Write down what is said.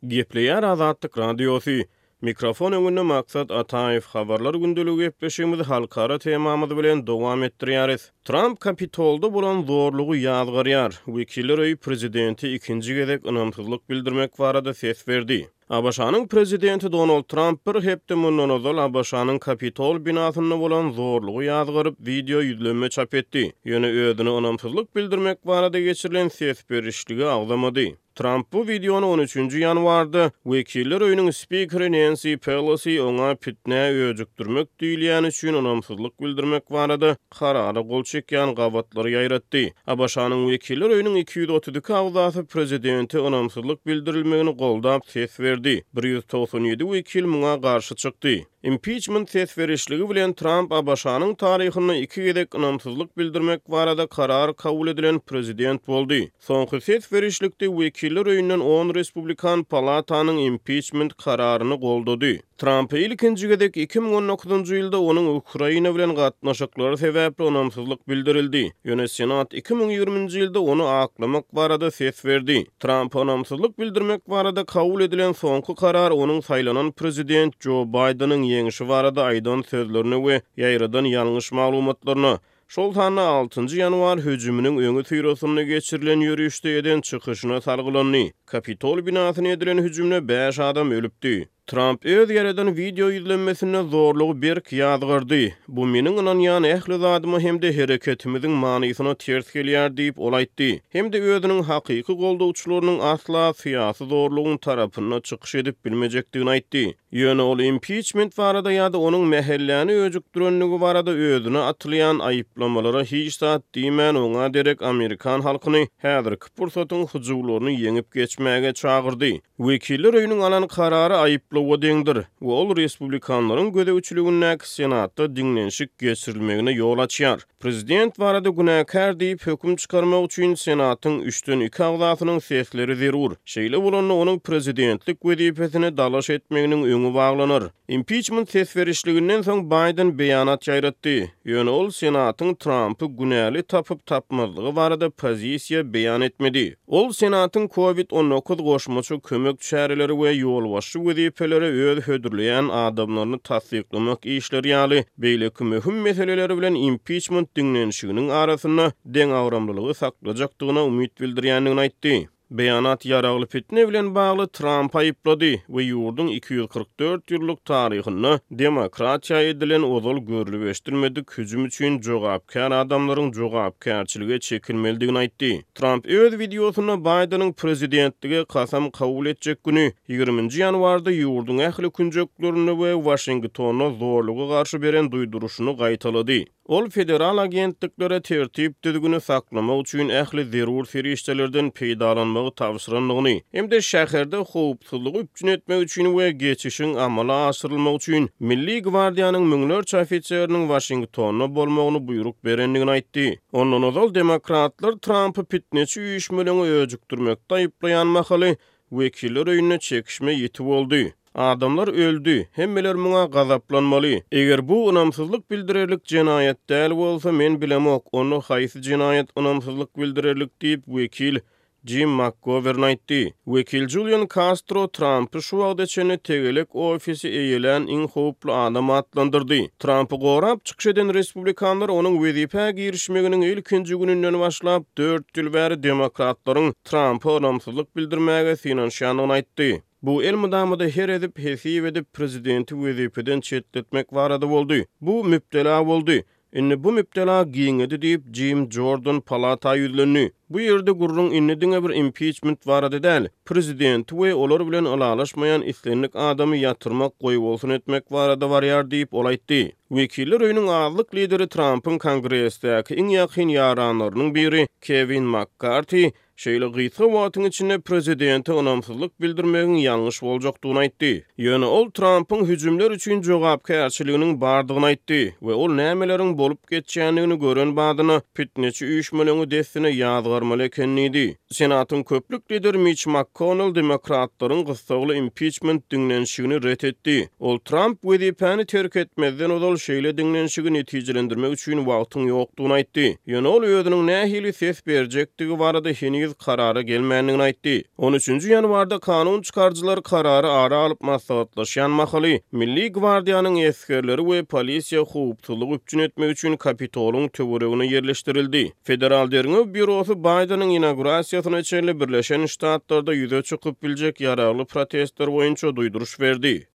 Gepleýär Azatlyk Radiosy. Mikrofon öňünde Maksat Ataýew. Habarlar gündeligi gepleşigimizi halkara temamyz bilen dowam etdirýäris. Tramp Kapitolda bolan zorlugy ýazgarýar. Wekiller öýi prezidente ikinji gezek ynamsyzlyk bildirmek barada ses berdi. ABŞ-nyň prezidenti Donald Tramp bir hepde mundan ozal ABŞ-nyň Kapitol binasynda bolan zorlugy ýazgaryp, wideo ýüzlenme çap etdi. Ýöne özüne ynamsyzlyk bildirmek barada geçirilen ses berişligi agzamady. Tramp bu wideony on üçünji ýanwarda, Wekiller öýüniň spikeri Nensi Pelosi oňa pitnä öjükdirmek diýilýäni üçin ynamsyzlyk bildirmek barada karara gol çekýän gabatlary ýaýratdy. ABŞ-nyň Wekiller öýüniň 232 agzasy prezidente ynamsyzlyk bildirilmegini goldap ses berdi, 197 wekil muňa garşy çykdy. Impiçment ses berişligi bilen Tramp ABŞ-nyň taryhynda iki gezek ynamsyzlyk bildirmek barada karar kabul edilen prezident boldy. Soňky ses berişlikde Wekiller öýünden on respublikan palatanyň impiçment kararyny goldady. Trampa ilkinji gezek 2019-njy ýylda onuň Ukraina bilen gatnaşyklary sebäpli ynamsyzlyk bildirildi, ýöne Senat 2020-nji ýylda ony aklamak barada ses berdi. Trampa ynamsyzlyk bildirmek barada kabul edilen soňky karar onuň saýlanan prezident Jo Baýdeniň ýeňşi barada aýdan sözlerine we ýaýradan ýalňyş maglumatlaryna, şol sanda altynjy ýanwar hüjüminiň öňüsyrasynda geçirilen ýörişde eden çykyşyna salgylandy. Kapitol binasyna edilen hüjümde bäş adam ölüpdi. Tramp öz ýaradan wideo ýüzlenmesinde zorlugy berk ýazgardy. Bu meniň ynanýan ähli zadyma hem-de hereketimiziň manysyna ters gelýär diýip, ol aýtdy. Hem-de özüniň hakyky goldawçylarynyň asla syýasy zorlugyň tarapynda çykyş edip bilmejekdigini aýtdy. Ýöne ol impiçment barada ýa-da onuň mähelläni öjükdirendigi barada özüne atylýan aýyplamalara hiç zat diýmän, oňa derek amerikan halkyny häzirki pursatyň hyjuwlaryny ýeňip geçmäge çagyrdy. Wekiller öýüniň alan karary aýyplawa deňdir we ol respublikanlaryň gözegçiligindäki Senatda diňlenişik geçirilmegine ýol açýar. Prezident barada günäkär diýip höküm çykarmak üçin Senatyň üçden iki agzasynyň sesleri zerur. Şeýle bolanda onuň prezidentlik wezipesine dalaş etmeginiň öňi baglanar. Impiçment ses berişliginden soň Baýden beýanat ýaýratdy. Ýöne ol Senatyň Trampy günäli tapyp-tapmazlygy barada pozisiýa beýan etmedi. Ol Senatyň Covid 19 goşmaça kömek çäreleri we ýolbaşçy wezipelere öz hödürleýän adamlaryny tassyklamak işleri ýaly beýleki möhüm meseleleri bilen impiçment diňlenişiginiň arasynda deňagramlylygy saklajakdygyna umyt bildirýändigini aýtdy. Beýanat ýaragly pitne bilen bagly Trampy aýyplady we ýurduň 244 ýyllyk taryhynda demokratiýa edilen ozal görlüp-eşdilmedik hüjüm üçin jogapkär adamlaryň jogapkärçilige çekilmelidigini aýtdy. Tramp öz wideosynda Baýdeniň prezidentlige kasam kabul etjek güni, ýigriminji ýanwarda ýurduň ähli künjeklerinde we Waşingtonda zorluga garşy beren duýduryşyny gaýtalady. Ol federal agentliklere tertip-düzgüni saklamak üçin ähli zerur serişdelerden peýdalanmagy tabşyrandygyny hem-de şäherde howpsuzlygy üpjün etmek üçin we geçişiň amala aşyrylmagy üçin Milli gwardiýanyň müňlerçe ofiseriniň Waşingtonda bolmagyny buýruk berendigini aýtdy. Ondan ozal demokratlar Trampy pitneçi üýşmeleňi öjükdirmekde aýyplaýan mahaly, Wekiller öýünde çekişme ýiti boldy. Adamlar öldi, hemmeler muňa gazaplanmaly. Eger bu ynamsyzlyk bildirerlik jenaýat däl bolsa, men bilemok, onda haýsy jenaýat ynamsyzlyk bildirerlik diýip, wekil Jim Makgowern aýtdy. Wekil Julian Kastro Trampy şu wagta çenli tegelek ofisi eýelän iň howply adam atlandyrdy. Trampy gorap çykyş eden respublikanlar onuň wezipä girişmeginiň ilkinji gününden başlap, dört ýyl bäri demokratlaryň Trampa ynamsyzlyk bildirmäge synanyşýandygyny aýtdy. Bu elmydama-da her edip, hesip edip, prezidenti wezipeden çetletmek barada boldy. Bu mübtela boldy. Indi bu mübtela giňedi diýip, Jim Jordan palata ýüzlendi. Bu ýerde gürrüň indi diňe bir impiçment barada däl, prezidenti we olar bilen ylalaşmaýan islendik adamy ýatyrmak, goýbolsun etmek barada barýar diýip, ol aýtdy. Wekiller öýüniň azlyk lideri Trampyň Kongresdäki iň ýakyn ýaranlarynyň biri Kewin Makkarti Şeýle gysga wagtyň içinde prezidente ynamsyzlyk bildirmegiň ýalňyş boljakdygyny aýtdy. Ýöne ol Trampyň hüjümler üçin jogapkärçiliginiň bardygyny aýtdy we ol nämeleriň bolup geçýändigini gören badyna pitneçi üýşmeleňi dessine ýazgarmaly eken diýdi. Senatyň köplük lideri Miç MakKonnel demokratlaryň gyssagly impiçment diňlenişigini ret etdi. Ol Tramp wezipäni terk etmezden ozal şeýle diňlenişigi netijelendirmek üçin wagtyň ýokdugyny aýtdy. Ýöne ol özüniň nähili ses berjekdigi barada heniz heniz karara gelmändigini aýtdy. On üçünji ýanwarda kanun çykaryjylar karary ara alyp maslahatlaşýan mahaly, Milli gwardiýanyň esgerleri we polisiýa howpsuzlygy üpjün etmek üçin Kapitolyň töweregine ýerleşdirildi. Federal derňew býurosy Baýdeniň inaugurasiýasyna çenli Birleşen Ştatlarda ýüze çykyp biljek ýaragly protestler boýunça duýduryş berdi.